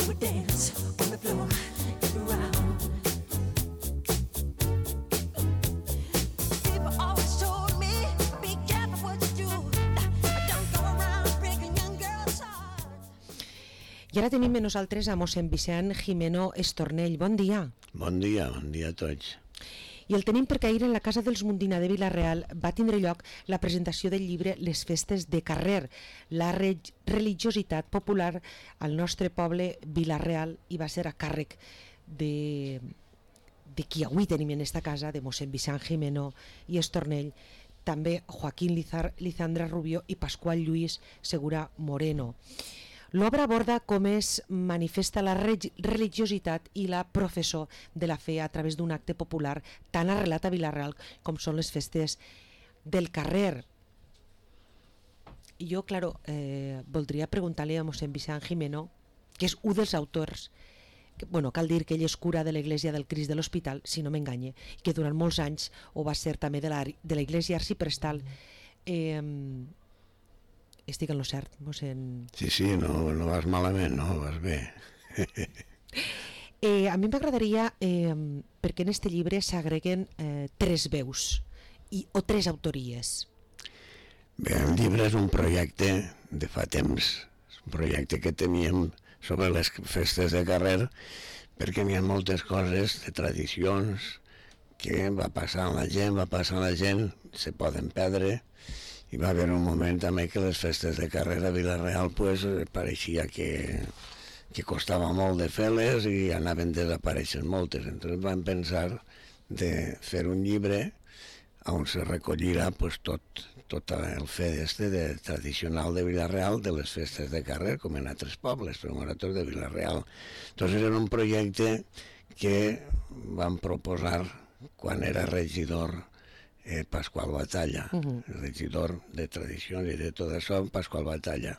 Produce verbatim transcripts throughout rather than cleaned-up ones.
would dance on the floor, get around. People always told me, be careful what you do. Don't go around breaking young girls' hearts. I ara tenim amb nosaltres a mossèn Vicent Gimeno Estornell. Bon dia. Bon dia, bon dia a tots. I el tenim perquè ahir en la Casa dels Mundina de Vila-real va tindre lloc la presentació del llibre Les festes de carrer, la re religiositat popular al nostre poble Vila-real, i va ser a càrrec de, de qui avui tenim en esta casa, de mossèn Vicent Gimeno i Estornell, també Joaquín Lizar, Lizandra Rubio i Pasqual Lluís Segura Moreno. L'obra aborda com es manifesta la religiositat i la professó de la fe a través d'un acte popular tan arrelat a Vila-real com són les festes del carrer. I jo, claro, eh, voldria preguntar-li a mossèn Vicent Gimeno, que és un dels autors, que, bueno, cal dir que ell és cura de l'Església del Crist de l'Hospital, si no m'enganye, que durant molts anys ho va ser també de la, de l'Església Arciprestal. Eh, estic en lo cert, mossèn? Sí, sí, no, no vas malament, no, vas bé. eh, a mi m'agradaria, eh, perquè en este llibre s'agreguen eh, tres veus i, o tres autories. Bé, el llibre és un projecte de fa temps, és un projecte que teníem sobre les festes de carrer, perquè n'hi ha moltes coses de tradicions que va passant la gent, va passant la gent, se poden perdre. Hi va haver un moment també que les festes de carrer a Vila-real pues, pareixia que, que costava molt de fer-les i anaven desapareixent moltes. Entonces vam pensar de fer un llibre on se recollirà pues, tot, tot el fet este de, tradicional de Vila-real de les festes de carrer, com en altres pobles, però nosaltres de Vila-real. Entonces era un projecte que vam proposar quan era regidor Eh, Pasqual Batalla, uh-huh. regidor de tradicions i de tot això, Pasqual Batalla.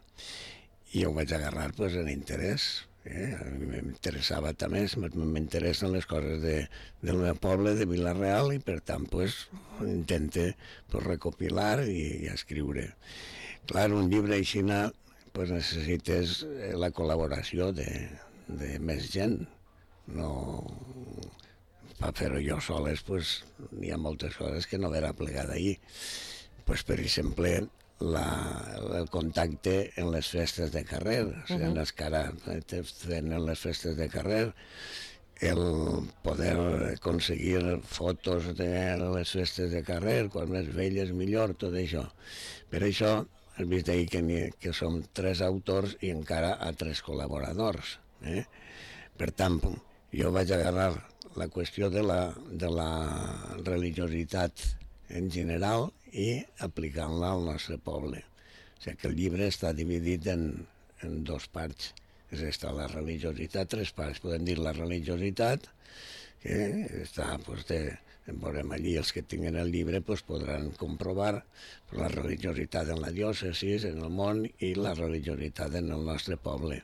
I ho vaig agarrar pues, en interès. Eh? A mi m'interessava també, m'interessen les coses de, del meu poble, de Vila-real, i per tant pues, intente pues, recopilar i, i escriure. Clar, un llibre així pues, necessites la col·laboració de, de més gent. No... per fer-ho jo soles, pues, hi ha moltes coses que no verà plegar d'ahir. Pues, per exemple, la, el contacte en les festes de carrer, uh-huh. o sigui, les que ara fent en les festes de carrer, el poder aconseguir fotos de les festes de carrer, quan més velles millor, tot això. Per això, has vist ahir que, que som tres autors i encara a tres col·laboradors. Eh? Per tant, jo vaig agarrar la qüestió de la, de la religiositat en general i aplicant-la al nostre poble. O sigui que el llibre està dividit en, en dos parts. És esta, la religiositat, tres parts. Podem dir la religiositat, que està, doncs, de, veurem allí, els que tinguin el llibre doncs, podran comprovar la religiositat en la diòcesi, en el món, i la religiositat en el nostre poble.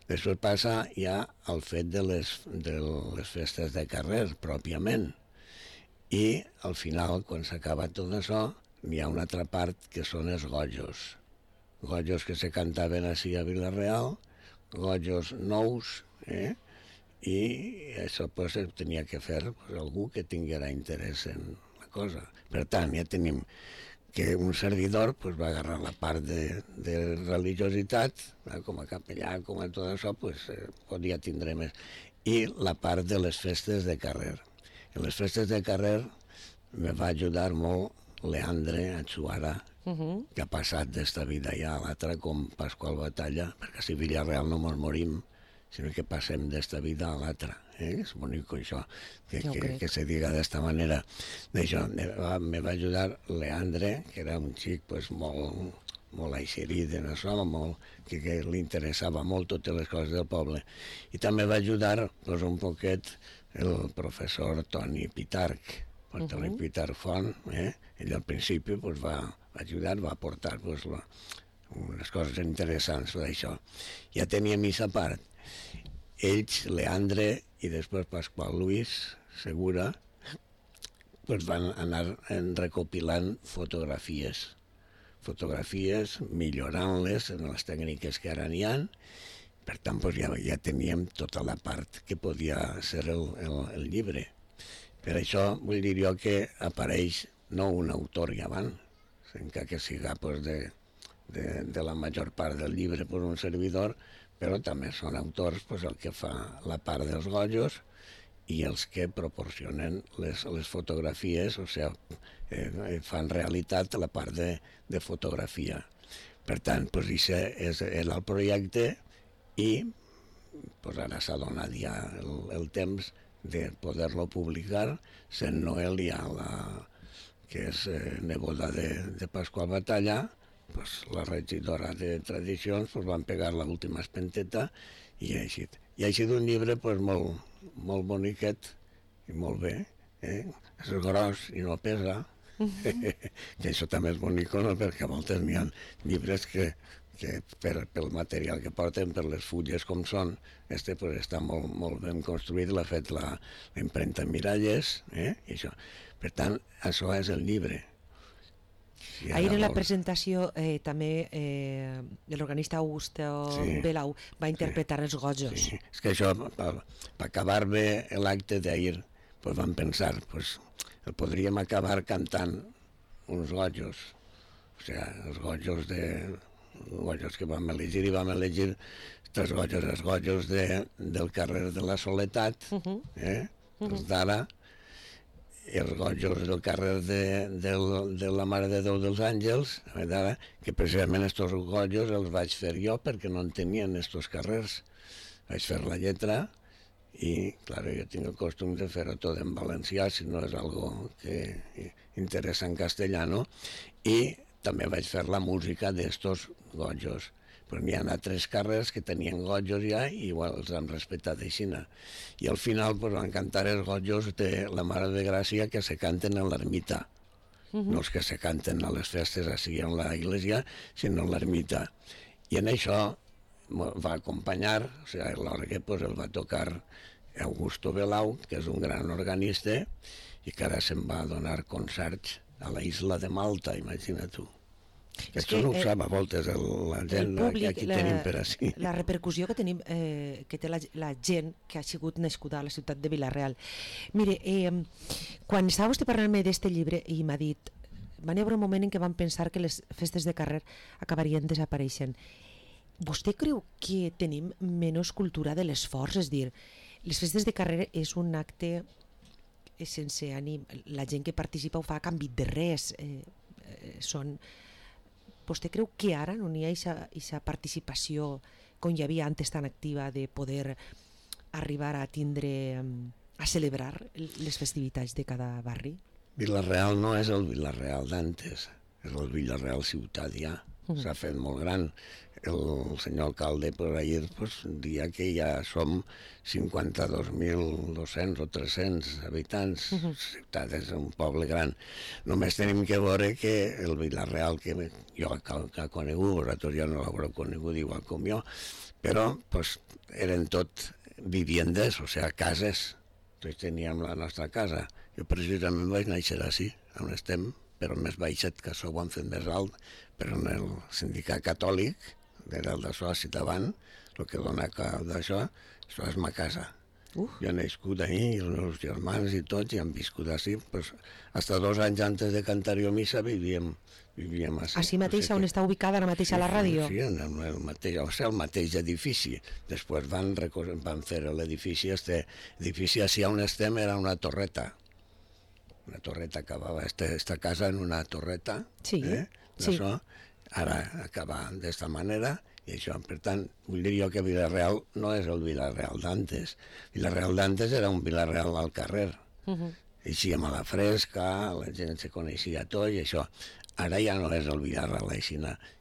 Després passa ja al fet de les, de les festes de carrer, pròpiament. I al final, quan s'acaba tot això, hi ha una altra part que són els gojos. Gojos que se cantaven així a Vila-real, gojos nous, eh? I això pues, tenia que fer pues, algú que tinguera interès en la cosa. Per tant, ja tenim que un servidor pues, va agarrar la part de, de religiositat, eh, com a capellà, com a tot això, pues, eh, podia tindre més. I la part de les festes de carrer. En les festes de carrer me va ajudar molt Leandre Atsuara, uh-huh. que ha passat d'esta vida ja a l'altra com Pasqual Batalla, perquè si Vila-real no mos morim, sinó que passem d'esta vida a l'altra. Eh? És bonic això, que, que, que se diga d'esta manera. D'això me va, me va ajudar Leandre, que era un xic pues, molt, molt aixerit en això, molt, que, que li interessava molt totes les coses del poble. I també va ajudar pues, un poquet el professor Toni Pitarch, per uh-huh. Toni Pitarch Font, eh? Ell al principi pues, va, va ajudar, va aportar pues, la, unes coses interessants d'això. Ja tenia missa a part. Ells, Leandre i després Pasqual Lluís Segura, pues van anar recopilant fotografies, fotografies, millorant-les en les tècniques que ara n'hi ha, Per tant, doncs ja, ja teníem tota la part que podia ser el, el, el llibre. Per això vull dir jo que apareix no un autor i avant, encara que siga pues, de, de, de la major part del llibre per un servidor, però també són autors pues, el que fa la part dels gojos i els que proporcionen les, les fotografies, o sigui, eh, fan realitat la part de, de fotografia. Per tant, pues, aquest era el projecte i pues, ara s'ha donat ja el, el temps de poder-lo publicar, sent Noelia, la, que és eh, neboda de, de Pasqual Batalla, pues, la regidora de tradicions, pues, van pegar l'última espenteta i ha eixit. I ha eixit un llibre pues, molt, molt boniquet i molt bé, eh? És gros i no pesa, que això també és bonic, no? Perquè a voltes n'hi ha llibres que, que per, pel material que porten, per les fulles com són, este pues, està molt, molt ben construït, l'ha fet la, la impremta Miralles, eh? I això. Per tant, això és el llibre. Si Ahir en la vol... presentació eh, també eh, l'organista Augusto Sí. Belau va interpretar Sí. els gojos. Sí, és que això, per, per acabar bé l'acte d'ahir, pues vam pensar, pues, el podríem acabar cantant uns gojos, o sigui, els gojos de... gojos que vam elegir, i vam elegir tres gojos, els gojos de, del carrer de la Soledat, Uh -huh. eh? els d'ara, i els gojos del carrer de, de, de la Mare de Déu dels Àngels, d'ara, que precisament estos gojos els vaig fer jo perquè no en tenien estos carrers. Vaig fer la lletra i, clar, jo tinc el costum de fer-ho tot en valencià, si no és algo que interessa en castellano, i també vaig fer la música d'estos gojos. Però n'hi ha tres carrers que tenien gojos ja i igual els han respectat així. I al final pues, van cantar els gojos de la Mare de Gràcia que se canten a l'ermita. Uh -huh. No els que se canten a les festes així en la iglesia, sinó a l'ermita. I en això va acompanyar, o sigui, a l'orgue pues, el va tocar Augusto Belau, que és un gran organista, i que ara se'n va donar concerts a la isla de Malta, imagina't tu. Que això no ho sap a voltes el, la gent públic, que aquí la, tenim per així. La repercussió que tenim, eh, que té la, la gent que ha sigut nascuda a la ciutat de Vila-real. Mire, eh, quan estava vostè parlant-me d'este llibre i m'ha dit, van haver un moment en què van pensar que les festes de carrer acabarien desapareixent. Vostè creu que tenim menys cultura de l'esforç? És dir, les festes de carrer és un acte sense ànim, la gent que participa ho fa a canvi de res, eh, eh, són... Vostè creu que ara no hi ha aquesta participació com hi havia antes tan activa de poder arribar a tindre, a celebrar les festivitats de cada barri? Vila-real no és el Vila-real d'antes, és el Vila-real ciutat ja, mm. s'ha fet molt gran. El senyor alcalde per ahir pues, dia que ja som cinquanta-dos mil dos-cents o tres-cents habitants. Uh -huh. Ciutat és un poble gran. Només tenim que veure que el Vila-real, que jo que he conegut, vosaltres ja no l'haureu conegut igual com jo, però pues, eren tot viviendes, o sigui, cases. Tots teníem la nostra casa. Jo precisament vaig néixer així, on estem, però més baixet, que això ho han fet més alt, però en el sindicat catòlic, era el de soci davant, el que dona cap d'això, això és ma casa. Uh. Jo he nascut ahí, i els meus germans i tots, i han viscut així. Pues, hasta dos anys antes de cantar jo missa vivíem, vivíem així. Així mateix, o sigui on que... està ubicada ara mateix sí, a la ràdio? Sí, en el mateix, o sigui, el mateix edifici. Després van, van fer l'edifici, este edifici així on estem era una torreta. Una torreta, acabava esta, esta casa en una torreta. Sí, eh? sí. Això, ara acaba d'esta manera, i això, per tant, vull dir jo que Vila-real no és el Vila-real d'antes. Vila-real d'antes era un Vila-real al carrer. Uh -huh. Així amb la fresca, la gent se coneixia tot i això. Ara ja no és el Vila-real així,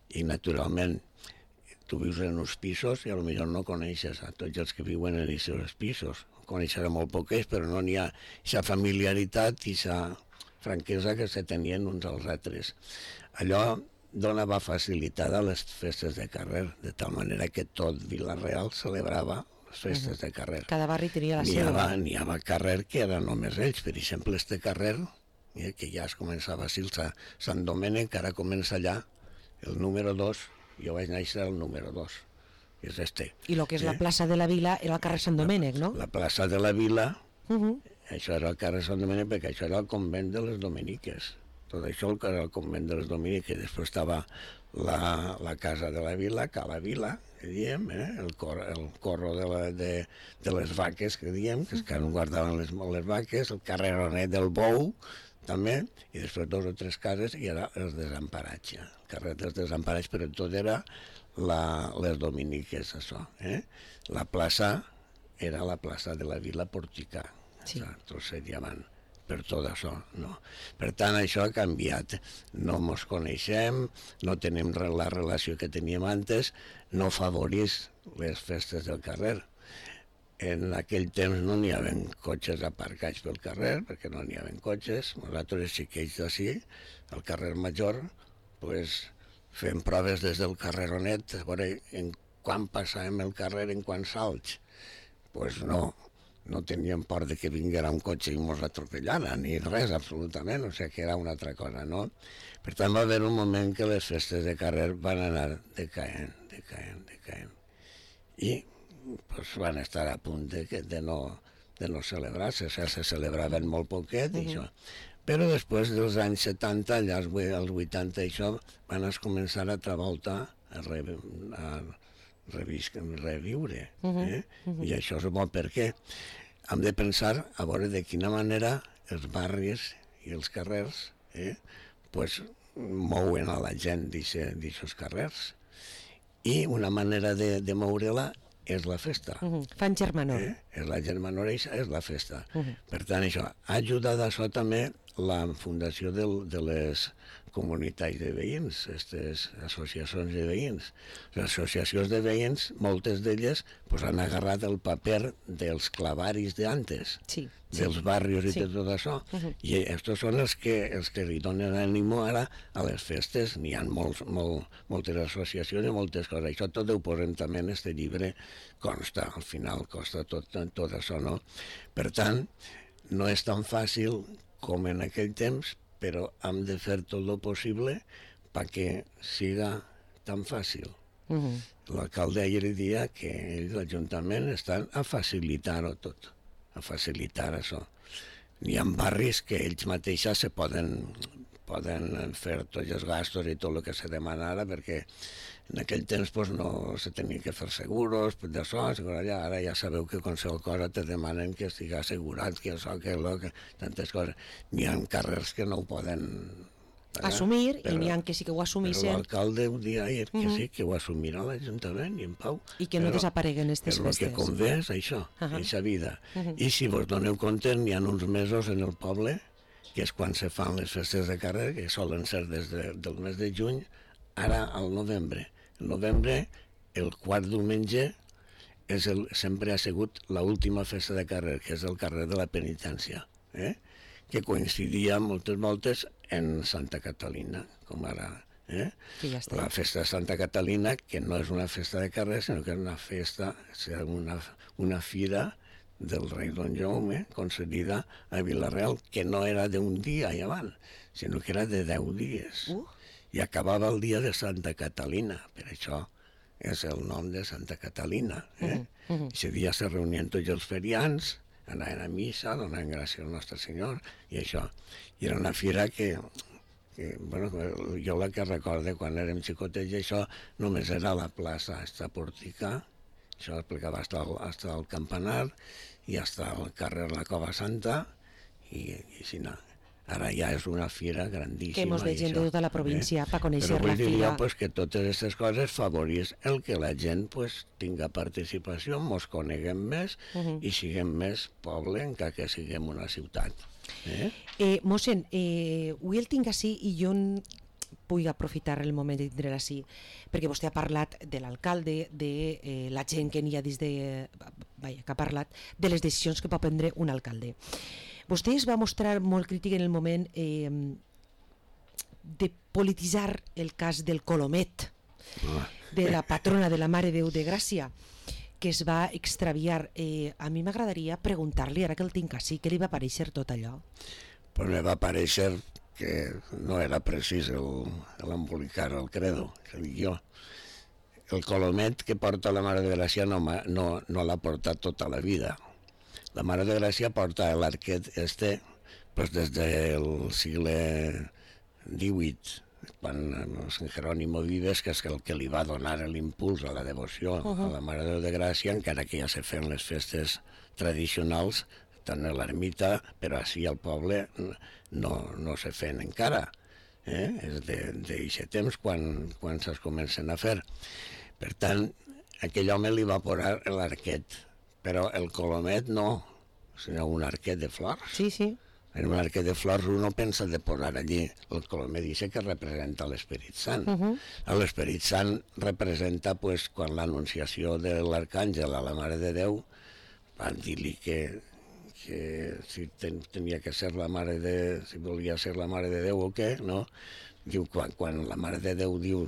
i naturalment tu vius en uns pisos i potser no coneixes a tots els que viuen en aquests pisos. Coneixerà molt poquets, però no n'hi ha aquesta familiaritat i aquesta franquesa que se tenien uns als altres. Allò donava facilitat a les festes de carrer, de tal manera que tot Vila-real celebrava les festes de carrer. Cada barri tenia la N'hi seva. havia, n'hi havia carrer que eren només ells, per exemple, este carrer, eh, que ja es començava a dir Sant Domènec, ara comença allà el número dos, jo vaig néixer el número dos, és este. I el que és eh? la plaça de la Vila era el carrer Sant Domènec, no? La plaça de la Vila, Uh -huh. això era el carrer Sant Domènec, perquè això era el convent de les Dominiques. Tot això era el convent de les Dominiques. Després estava la, la casa de la Vila, que a la Vila, que diem, eh? el, cor, el corro de, la, de, de les vaques, que diem, que és que no guardaven les, les vaques, el carreronet del Bou, també, i després dos o tres cases, i era el desemparatge. El carrer dels desemparats, però tot era la, les Dominiques, això. Eh? La plaça era la plaça de la Vila Porticà. Sí. Tot seria avant per tot això, no? Per tant, això ha canviat. No ens coneixem, no tenim la relació que teníem antes, no favorís les festes del carrer. En aquell temps no n'hi havia cotxes aparcats pel carrer, perquè no n'hi havia cotxes. Nosaltres, xiquets d'ací, al carrer Major, pues, fem proves des del carreronet, a veure en quan passàvem el carrer, en quants salts. Pues no, no teníem por de que vinguera un cotxe i mos atropellara, ni res, absolutament, o sigui que era una altra cosa, no? Per tant, va haver un moment que les festes de carrer van anar decaent, decaent, decaent. I pues, van estar a punt de, de, no, de no celebrar-se, o sigui, se celebraven molt poquet, i uh -huh. això. Però després dels anys setanta, allà als vuitanta, això, van es començar a travoltar, a, re, a revis, reviure. Eh? Uh -huh. I això és bo perquè hem de pensar a veure de quina manera els barris i els carrers eh, pues, mouen a la gent d'aixòs carrers. I una manera de, de moure-la és la festa. Uh -huh. Fan germanor. Eh? És la germanor, és la festa. Uh -huh. Per tant, això ha ajudat a això també la fundació de, de les comunitats de veïns, aquestes associacions de veïns. Les associacions de veïns, moltes d'elles, pues, han agarrat el paper dels clavaris d'antes, sí, dels sí, barris i sí. de tot això. Uh -huh. I estos són els que, els que li donen ànimo ara a les festes. N'hi ha molts, molt, moltes associacions i moltes coses. Això tot ho posem també en este llibre, consta, al final costa tot, tot això, no? Per tant, no és tan fàcil com en aquell temps, però hem de fer tot el possible perquè siga tan fàcil. Uh -huh. L'alcalde ahir dia que ells, l'Ajuntament, estan a facilitar-ho tot, a facilitar això. Hi ha barris que ells mateixos se poden, poden fer tots els gastos i tot el que se demana ara, perquè en aquell temps pues, no se tenia que fer seguros, d'això, ara ja sabeu que qualsevol cosa te demanen que estigui assegurat, que això, que allò, que tantes coses. N'hi ha carrers que no ho poden pagar, assumir, però, i n'hi ha que sí que ho assumissin. Però l'alcalde ho dia ahir, que uh -huh. sí, que ho assumirà l'Ajuntament i en pau. I que no però, desapareguen aquestes festes. El que convé és això, uh -huh. aquesta vida. Uh -huh. I si vos doneu compte, n'hi ha uns mesos en el poble, que és quan se fan les festes de carrer, que solen ser des de, del mes de juny, ara al novembre. El novembre, el quart diumenge, és el, sempre ha sigut l'última festa de carrer, que és el carrer de la Penitència, eh? que coincidia moltes voltes en Santa Catalina, com ara. Eh? Ja la festa de Santa Catalina, que no és una festa de carrer, sinó que és una festa, una, una fira del rei Don Jaume, concedida a Vila-real, que no era d'un dia i avant, sinó que era de deu dies. Uh. I acabava el dia de Santa Catalina, per això és el nom de Santa Catalina. Eh? Uh -huh, uh -huh. Ese dia se reunien tots els ferians, anaven a missa, donaven gràcies al Nostre Senyor, i això. I era una fira que, que bueno, jo la que recordo quan érem xicotets, això només era la plaça, esta Porticà, això explicava hasta el, hasta el campanar, i hasta el carrer La Cova Santa, i, i així no. Ara ja és una fira grandíssima. Que mos ve gent de tota la província eh? per conèixer Però la fira. Però vull dir jo pues, que totes aquestes coses favorís el que la gent pues, tinga participació, mos coneguem més uh -huh. i siguem més poble encara que siguem una ciutat. Eh? Eh, mossèn, eh, avui el tinc així i jo vull aprofitar el moment de tindre així, perquè vostè ha parlat de l'alcalde, de eh, la gent que n'hi ha dins de... Vaja, que ha parlat de les decisions que pot prendre un alcalde. Vostè es va mostrar molt crític en el moment eh, de polititzar el cas del Colomet, de la patrona de la Mare de Déu de Gràcia, que es va extraviar. Eh, a mi m'agradaria preguntar-li, ara que el tinc així, què li va parèixer tot allò? Pues me va parèixer que no era precís l'embolicar el credo, que dic jo. el colomet que porta la Mare de Gràcia no, ma- no, no l'ha portat tota la vida. La Mare de Gràcia porta l'arquet este pues, des del segle divuit, quan el Sant Jerónimo Vives, que és el que li va donar l'impuls a la devoció uh -huh. a la Mare de Déu de Gràcia, encara que ja se feien les festes tradicionals, tant a l'ermita, però així al poble no, no se feien encara. Eh? És d'aquest temps quan, quan se'ls comencen a fer. Per tant, aquell home li va posar l'arquet, però el colomet no, sinó un arquet de flors. Sí, sí. En un arquet de flors uno pensa de posar allí el colomet, dice que representa l'Esperit Sant. Uh -huh. L'Esperit Sant representa pues, quan l'anunciació de l'arcàngel a la Mare de Déu van dir-li que, que si ten, tenia que ser la Mare de... si volia ser la Mare de Déu o què, no? Diu, quan, quan la Mare de Déu diu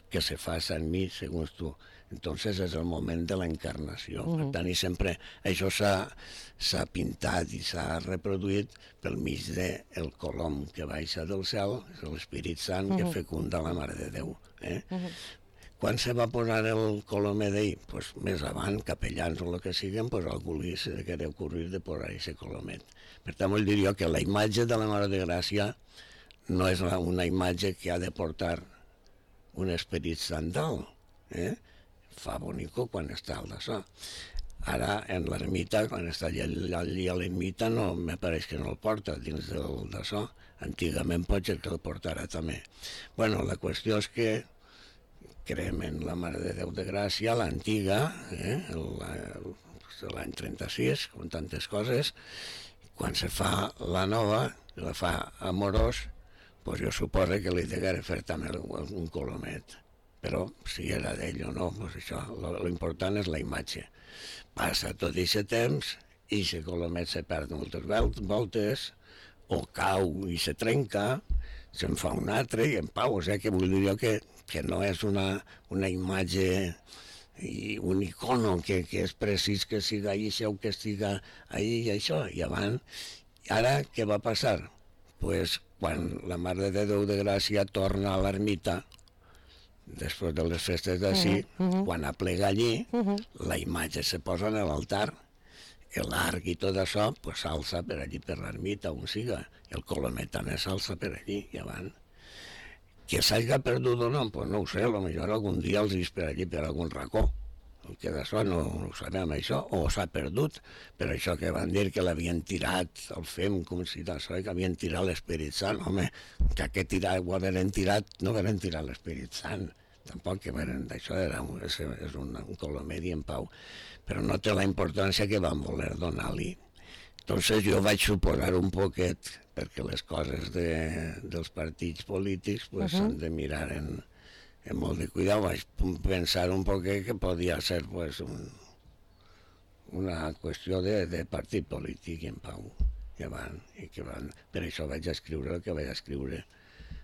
que se faça en mi, segons tu, entonces és el moment de l'encarnació. Uh -huh. Per tant, i sempre això s'ha pintat i s'ha reproduït pel mig del colom que baixa del cel, és l'Esperit Sant uh -huh. que fecunda la Mare de Déu. Eh? Uh -huh. Quan se va posar el colomer d'ell? Pues més avant, capellans o el que siguin, pues algú li se queria ocorrir de posar aquest colomet. Per tant, vull dir jo que la imatge de la Mare de Gràcia no és una imatge que ha de portar un Esperit Sant dalt, eh? Fa bonico quan està al d'això. Ara, en l'ermita, quan està allà, allà a l'ermita, no, me pareix que no el porta dins del d'això. Antigament pot ser que el portarà també. Bueno, la qüestió és que creem en la Mare de Déu de Gràcia, l'antiga, eh? l'any trenta-sis, com tantes coses. Quan se fa la nova, la fa amorós, pues jo suposo que li degué fer també un colomet. Però si era d'ell o no, pues això, lo important és la imatge. Passa tot aquest temps i aquest colomet se perd moltes voltes, o cau i se trenca, se'n fa un altre i en pau. O sigui que vull dir jo que, que no és una, una imatge i un icono que, que és precís que siga això o que estiga ahí i això. I abans, ara què va passar? Pues quan la Mare de Déu de Gràcia torna a l'ermita, després de les festes d'ací, uh -huh. quan aplega allí, uh -huh. la imatge se posa en l'altar, l'arc i tot això pues, s'alça per allí, per l'ermita, on siga. El colomet també s'alça per allí, i abans. Que s'hagi perdut o no, pues no ho sé, potser algun dia els vist per allí, per algun racó. El que d'això no, no ho sabem, això, o s'ha perdut, però això que van dir que l'havien tirat, el fem com si d'això, que havien tirat l'Esperit Sant, home, que aquest tirar, ho havien tirat, no havien tirat l'Esperit Sant, tampoc que varen, d'això era un, és, és un, un colomer i en pau, però no té la importància que van voler donar-li. Entonces jo vaig suposar un poquet, perquè les coses de, dels partits polítics pues, s'han uh -huh. de mirar en, en molt de cuidado. Vaig pensar un poquet que podia ser pues, un, una qüestió de, de partit polític en pau. I van, i que van, per això vaig escriure el que vaig escriure,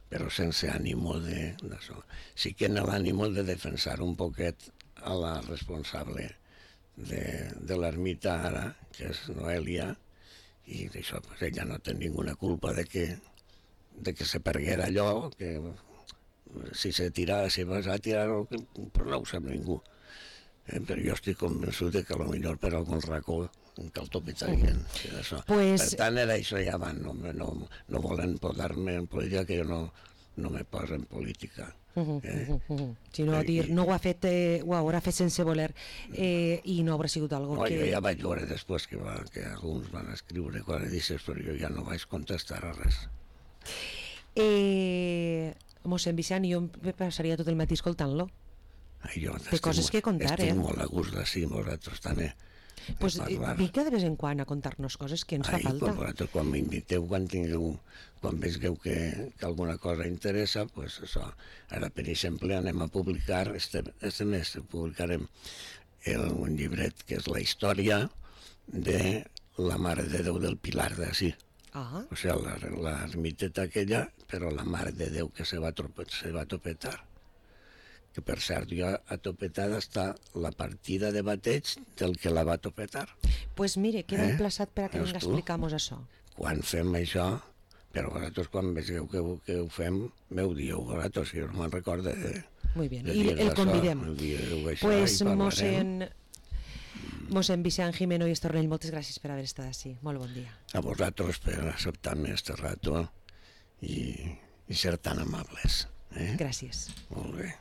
però sense ànimo d'això. Sí que en l'ànimo de defensar un poquet a la responsable de, de l'ermita ara, que és Noelia, i d'això, pues, ella no té ninguna culpa de que, de que se perguera allò, que si se tirava, si vas a tirar, però no ho sap ningú. Eh, però jo estic convençut de que potser per algun racó que el topetarien. Pues... Per tant, era això ja van, no, no, no volen posar-me en política, que jo no, no me poso en política. Uh -huh, eh? uh -huh. Si no, dir, no ho ha fet, eh, ho haurà fet sense voler, eh, i no haurà sigut algo no, que... Jo ja vaig veure després que, va, que alguns van escriure coses d'aixes, però jo ja no vaig contestar a res. Eh, mossèn Vicent, jo em passaria tot el matí escoltant-lo. Ai, jo Té coses que contar, estic eh? Estic molt a gust d'ací, vosaltres també. Pues vinga de vez en quan a contar-nos coses que ens Ai, fa falta. Quan, vosaltres, quan m'inviteu, quan tingueu, quan veieu que, que alguna cosa interessa, pues això. Ara, per exemple, anem a publicar, este, este mes publicarem el, un llibret que és la història de la Mare de Déu del Pilar d'ací. Ah. O sigui, l'ermiteta aquella, però la Mare de Déu que se va, se va topetar. Que per cert, jo a topetada està la partida de bateig del que la va topetar. Pues mire, queda eh? emplaçat per a que Veus vinga a tu? explicar-nos això. Quan fem això, però vosaltres quan veieu que, que ho fem, m'ho dieu vosaltres, si jo no me'n recordo. Eh? Muy bien, de i dies el d'això, convidem. el dia d'això, Pues i parlarem. mossèn, mossèn Vicent Jimeno i Estornell, moltes gràcies per haver estat així. Molt bon dia. A vosaltres per acceptar-me este rato i, i ser tan amables. Eh? Gràcies. Molt bé.